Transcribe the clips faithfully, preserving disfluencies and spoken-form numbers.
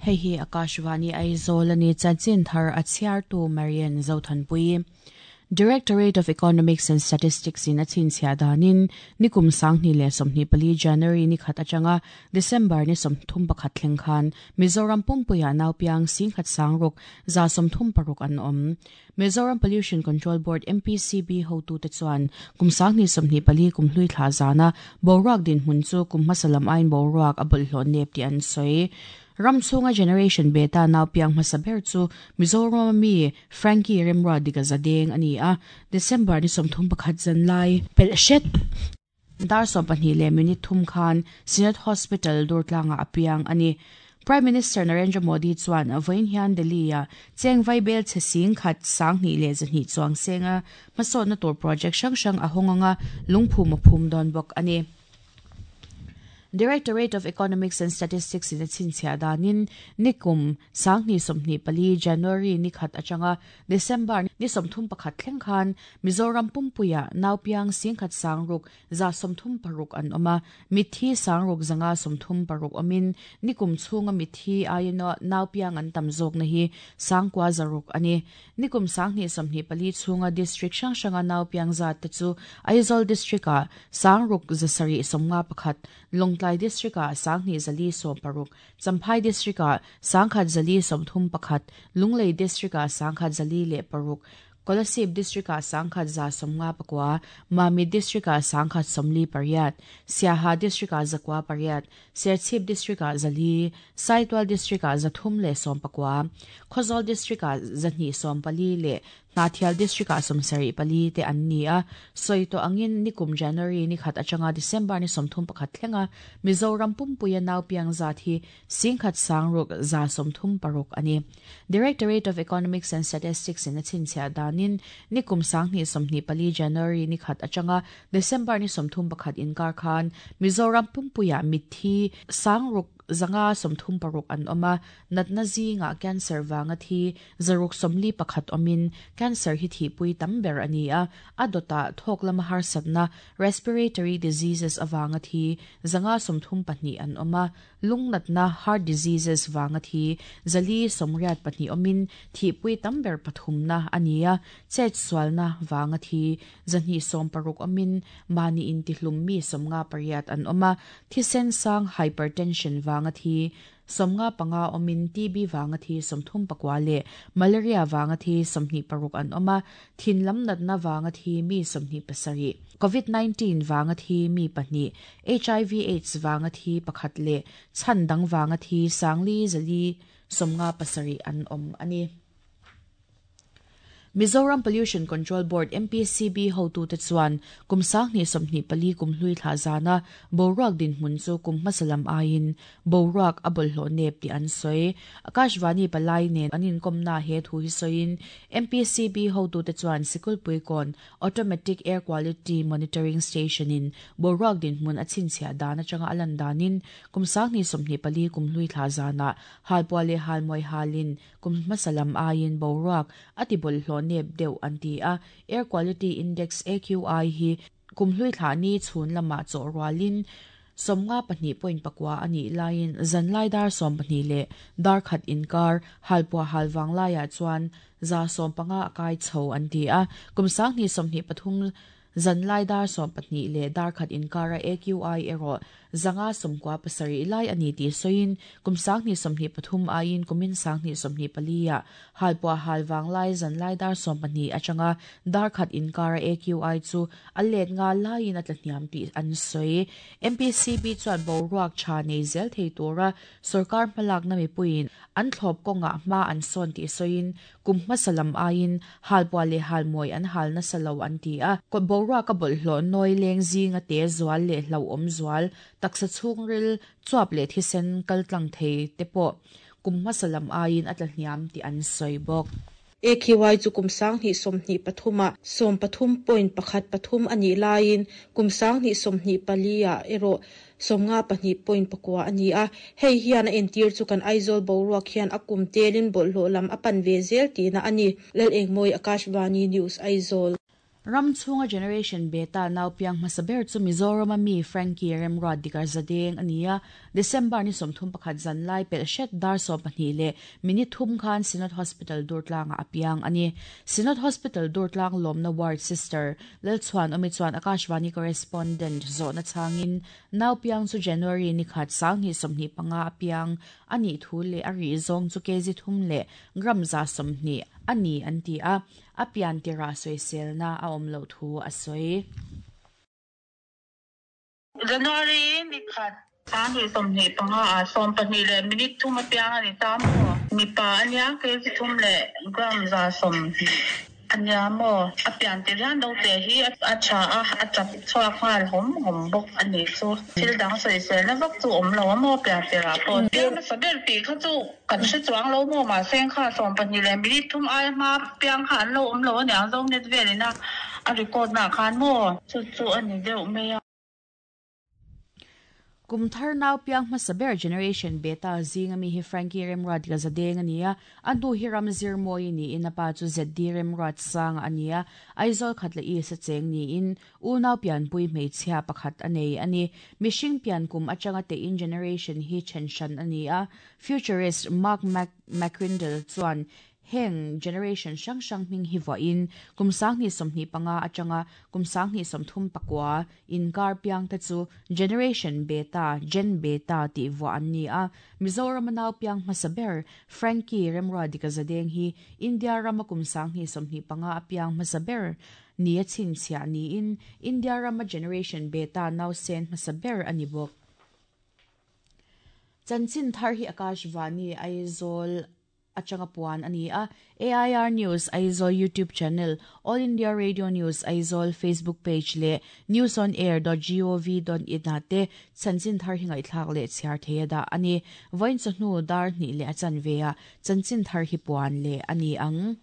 Hei hi Akashvani Aizawl ani chanchin thar a chhiartu Marian Zothanpui. Directorate of Economics and Statistics in a chhinchhiah danin nikum sanghnih leh sawmhnih pali January ni khat atanga December ni sawmthum pakhat thleng khan Mizoram pumpuiah naupiang singkhat sangruk za sawmthum paruk an awm. Mizoram Pollution Control Board M P C B hotute chuan kum sanghnih sawmhnih pali kum hlui thla zana boruak dinhmun chu kum hmasa lam aiin boruak a bawlhhlawh nep tih an sawi. Ram chhunga Generation Beta naupiang hmasa ber chu Mizoram mi Frankie Remra dika zadeng ani a. December ni sawmthum pakhat zan lai pelh hret dar sawm pahnih leh minute thum khan Synod Hospital Durtlanga apiang ani. Prime Minister Narendra Modi chuan vawiin hian Delhi a cheng vaibel che sing khat sanghnih leh zahnih chuang senga hmasawnna tur project hrang hrang a hawng anga lungphum a phum dawn bawk ani. Directorate of Economics and Statistics in a chhinchhiah danin nikum sanghnih sawmhnih pali January ni khat atanga December ni sawmthum pakhat thleng khan Mizoram pumpuiah naupiang singkhat sangruk za sawmthum paruk an awm a, mithi sangruk zanga sawmthum paruk awmin nikum chhunga mithi aiin naupiang an tam zawk na hi sangkua zaruk ani. Nikum sanghnih sawmhnih pali chhunga district hrang hranga naupiang zat te chu Aizawl district ah sangruk zasarih sawmnga pakhat, Lawngtlai district ah sanghnih zali sawm paruk, Champhai district ah sangkhat zali sawmthum pakhat, Lunglei district ah sangkhat zali leh paruk, Kolasib district ah sangkhat za sawmnga pakua, Mamit district ah sangkhat sawmli pariat, Siaha district ah zakua pariat, Serchhip district ah zali, Saitual district ah zathum leh sawm pakua, Khawzawl district ah zahnih sawm pali leh Hnahthial district ah sawmsarih pali te an ni a. Sawi tawh angin nikum January ni khat atanga December ni sawmthum pakhat thlenga Mizoram pumpuia naupiang zat hi singkhat sangruk za sawmthum paruk ani. Directorate of Economics and Statistics in a chhinchhiah danin nikum sanghnih sawmhnih pali January ni khat atanga December ni sawmthum pakhat inkar khan Mizoram pumpuia mithi sangruk zanga sawmthum paruk an awm a, natna zinga cancer wanga thi zaruk sawmli pakhat awmin cancer hi thihpui tam ber ani a. A dawtah thawk lama harsatna respiratory diseases awanga thi zanga sawmthum pahnih an awm a, lungnatna heart diseases wanga thi zali sawmriat pahnih awmin thihpui tam ber pathumna ani a. Chet sualna wanga thi zahnih sawm paruk awmin mahni intihlum mi sawmnga pariat an awm a, thisen sang hypertension wanga thi sawmnga panga awmin T B wanga thi sawmthum pakua leh malaria wanga thi sawmhnih paruk an awm a, thin lam natna wanga thi mi sawmhnih pasarih, COVID nineteen wanga thi mi pahnih, H I V AIDS wanga thi pakhat leh chhan dang wanga thi sangli zali sawmnga pasarih an awm ani. Mizoram Pollution Control Board M P C B hotute chuan kum sanghnih sawmhnih pali kum hlui thla zana boruak dinhmun chu kum hmasa lam aiin boruak a bawlhhlawh nep tih an sawi. Akashvani palai nen an inkawmna he thu hi sawiin M P C B hotute chuan Sikulpuikawn Automatic Air Quality Monitoring Station in boruak dinhmun a chhinchhiah dan atanga a lan danin kum sanghnih sawmhnih pali kum hlui thla zana halpuah leh halmawi halin kum hmasa lam aiin boruak a ti bawlhhlawh nep deuh an ti a. Air Quality Index A Q I hi kum hlui thla ni chhun lama chaw rualin sawmnga pahnih point pakua ani laiin zanlai dar sawm pahnih leh dar khat inkar halpuah halwang laiah chuan za sawm panga a kai chho an ti a. Kum sanghnih sawmhnih pathum zanlai dar sawm pahnih leh dar khat inkara A Q I erawh zanga sawmkua pasarih lai ani tih sawiin kum sanghnih sawmhnih pathum aiin kumin sanghnih sawmhnih pali ah halpuah halwang lai zanlai dar sawm pahnih atanga dar khat inkara A Q I chu a let nga laiin a tla hniam tih an sawi. M P C B chuan boruak tha nei zel thei tura sarkar hmalak na mipuiin an thlawp kawngah hma an sawn tih sawiin kum hmasa lam aiin halpuah leh halmawi an hal nasa lo an ti a. Boruak a bawlhhlawh nawi leng zinga te zual leh hlauhawm zual taksa chhungril chuap leh thisen kaltlang thei te pawh kum hmasa lam aiin a tla hniam tih an sawi bawk. A Q I chu kum sanghnih sawmhnih pathuma sawm pathum point pakhat pathum ani laiin kum sanghnih sawmhnih pali ah erawh sawmnga pahnih point pakua ani a. Hei hian a entir chu kan Aizawl boruak hian a kum telin bawlhhlawh lam a pan ve zel tihna ani. Lal Engmawi, Akashvani News, Aizawl. Ram chhunga Generation Beta nau piang hmasa ber chu Mizoram a mi Frankie Remruat Dikar Zadeng ania December ni sawmthum pakhat zan lai pel hret dar sawm pahnih leh minute thum khan Synod Hospital Durtlang a piang ani. Synod Hospital Durtlang lawmna ward sister Lalchuan Omi chuan Akashvani correspondent zawhna changin nau piang chu January ni khat sanghnih sawmhnih panga a piang ani thu leh a ri zawng chu kg thum leh gram za sawmhnih ani an ti a apian tira soisel na a awm lo thu a sawi. January ni khat sanghnih sawmhnih panga a sawm pahnih leh minute thum a piang ani ta maw mipa ania kg thum leh gram za sawmhnih ania maw apian tir hian lo te hi a tha a a chap chhuak nghal hawm hawm bawk ani chu thil dang soisel na vak chu awm lo a maw pian tirah pawh piang hmasa ber tih kha chu kan hre chuang lo maw mahse kha sawm pahnih leh minute thum ai hma piang kha an lo awm lo aniang zo net velin a a record na khan maw chu chu ani deuh mai a. Kumthar nau piang hmasa ber Generation Beta zinga mi hi Frankie Remruat Gazadeng ania andu hi Ramzir Moi ni in apa chu Z D Remruat sang ania Aizawl khatla i sa cheng ni in u nau pian pui hmeichhia pakhat anei ani mishing pian kum atanga te in generation hi chenshan ania futurist Mark Mac McCrindle chuan heng generation sang sang hming hi wa in kum sanghnih sawmhnih panga atanga kum sanghnih sawmthum pakua in kar piang te chu Generation Beta Gen Beta ti wa an ni a Mizoram nau piang hmasa ber Frankie Remruat Dikazadeng hi India rama kum sanghnih sawmhnih panga piang hmasa ber ni a chhinchhiah ni in India rama Generation Beta nau sen hmasa ber ani bawk. Chanchin thar hi Akashvani Aizawl atanga puan ani a A I R News Aizawl YouTube channel, All India Radio News Aizawl Facebook page le news on air dot gov dot in te chanchin thar hingai thlak le chhiar theia da ani voin chawhnu dar hnih leh a chanve a chanchin thar hi puan le ani ang.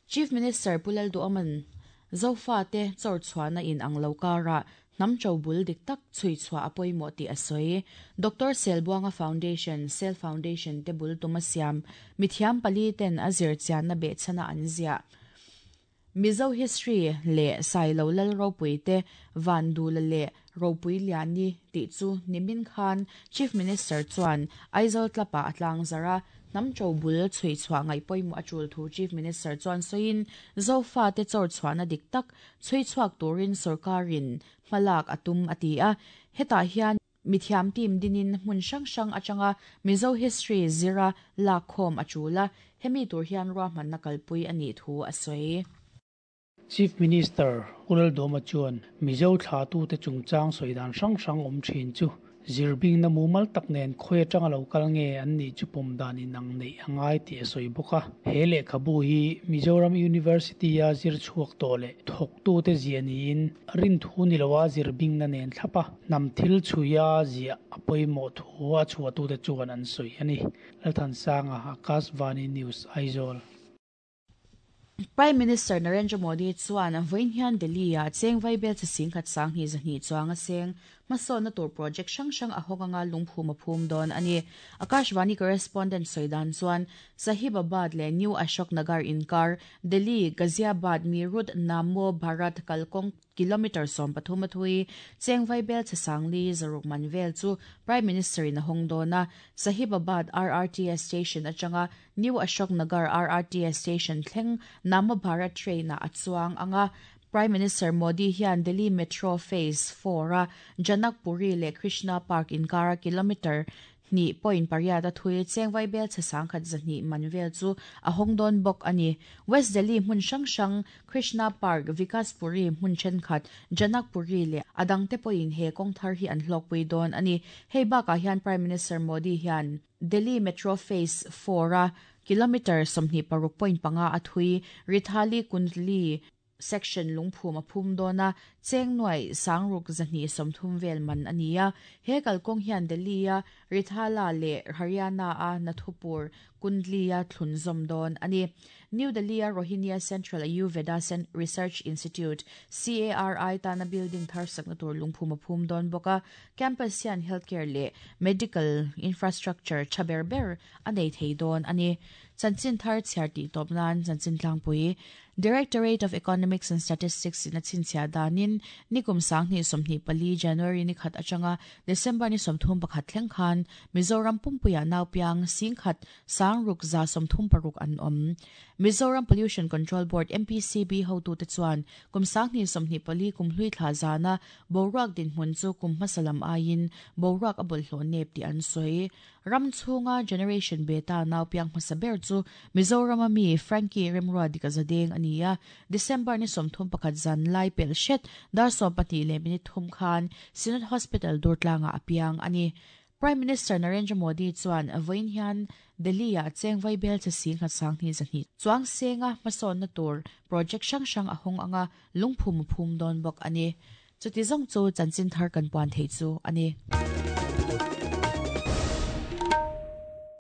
Chief Minister Pulal Duaman Zofa te chawr chhuana in ang lo kara nam chobul dik tak chui chua apoi mo ti asoi Doctor Selbuanga Foundation Sel Foundation te bul tumasiam mithiam pali ten azir chian na be chana anzia Mizo history le sailo lal ropui te vandula le ropui liani ti chu nimin khan Chief Minister chuan Aizawl tlapa atlang zara nam chobul chui chua ngai poimo achul thu Chief Minister chuan soin zofa te chor chuana dik tak chui chuak turin sarkarin malak atum atia heta hian mithiam team dinin hmun sang sang atanga Mizo history zira lakhom achula hemi tur hian ro man na kalpui ani thu asoi. Chief Minister Ulal Doma chuan Mizo thla tu te chungchang soidan sang sang om thin chu zirbing na mumal tak nen khoi atanga lo kal nge an ni chu pom dan in ang nei angai ti soi boka hele khabu hi Mizoram University a zir chuak to le thok tu te ziani in rin thu ni lowa zirbing na nen thlapa nam thil chuya zia apoi mo thu a chua tu te chuan an soi ani Lalthan Sanga Akashvani News Aizawl. Prime Minister Narendra Modi chuan vawiin hian Delhi a cheng vaibel chi sing khat sang hi zahnih chuang a seng hmasawn na tur project hrang hrang a hawk anga lungphum a phum dawn ani. Akashvani correspondent Soidan chuan Sahibabad le New Ashok Nagar inkar Delhi Ghaziabad Meerut Namo Bharat kalkawng kilometer sawm pathum a thui cheng vaibel chi sangli zaruk man vel chu Prime Minister in a hawng dawn a Sahibabad R R T S station atanga New Ashok Nagar R R T S station thleng Namo Bharat train a chuang anga Prime Minister Modi hian Delhi Metro Phase four a Janakpuri le Krishna Park inkara kilometer ni point pariat a thui cheng vaibel che sangkhat zahnih manvel chu a hawng dawn bawk ani. West Delhi hmun hrang hrang Krishna Park Vikaspuri hmun thenkhat Janakpuri le adang te pawhin he kawng thar hi an hlawkpui dawn ani. Hei bakah hian Prime Minister Modi hian Delhi Metro Phase four a kilometer sawmhnih paruk point panga a thui Rithali Kundli section lungphum a phum dawna cheng nuai sangruk zahnih sawmthum vel man ania he kalkawng hian Delhi a Rithala le Haryana a Nathupur Kundli a thlunzawm dawn ani. New Delhi a Rohinia Central Ayurveda Research Institute C A R I tana building thar sakna tur lungphum a phum dawn bawka campus hian healthcare le medical infrastructure thaber ber a nei thei dawn ani. Chanchin thar chhiar tih tawp nan chanchin tlangpui Directorate of Economics and Statistics in a chinchhiah danin nikum sanghnih sawmhnih pali January ni khat atanga December ni sawmthum pakhat thleng khan Mizoram pumpuia naupiang singkhat sangruk za sawmthum paruk an awm. Mizoram Pollution Control Board M P C B hotu te chuan kum sanghnih sawmhnih pali kum hlui thla zana boruak dinhmun chu kum hmasalam aiin boruak a bawlhhlawh nep tih an sawi. Ram chhunga Generation Beta naupiang hmasa ber chu Mizoram ami Frankie Remrua dikazadeng ania December ni sawmthum pakhat zan lai pel hret dar sawm pahnih leh minute thum khan Synod Hospital Durtlanga apiang ani. Prime Minister Narendra Modi chuan vawiin hian Delhi ah chengvai bel che sing khat sang hnih zahnih chuang senga hmasawn na tur project hrang hrang a hawng anga lungphum phum dawn bawk ani. Chuti zawng chu chanchin thar kan puan thei chu ani.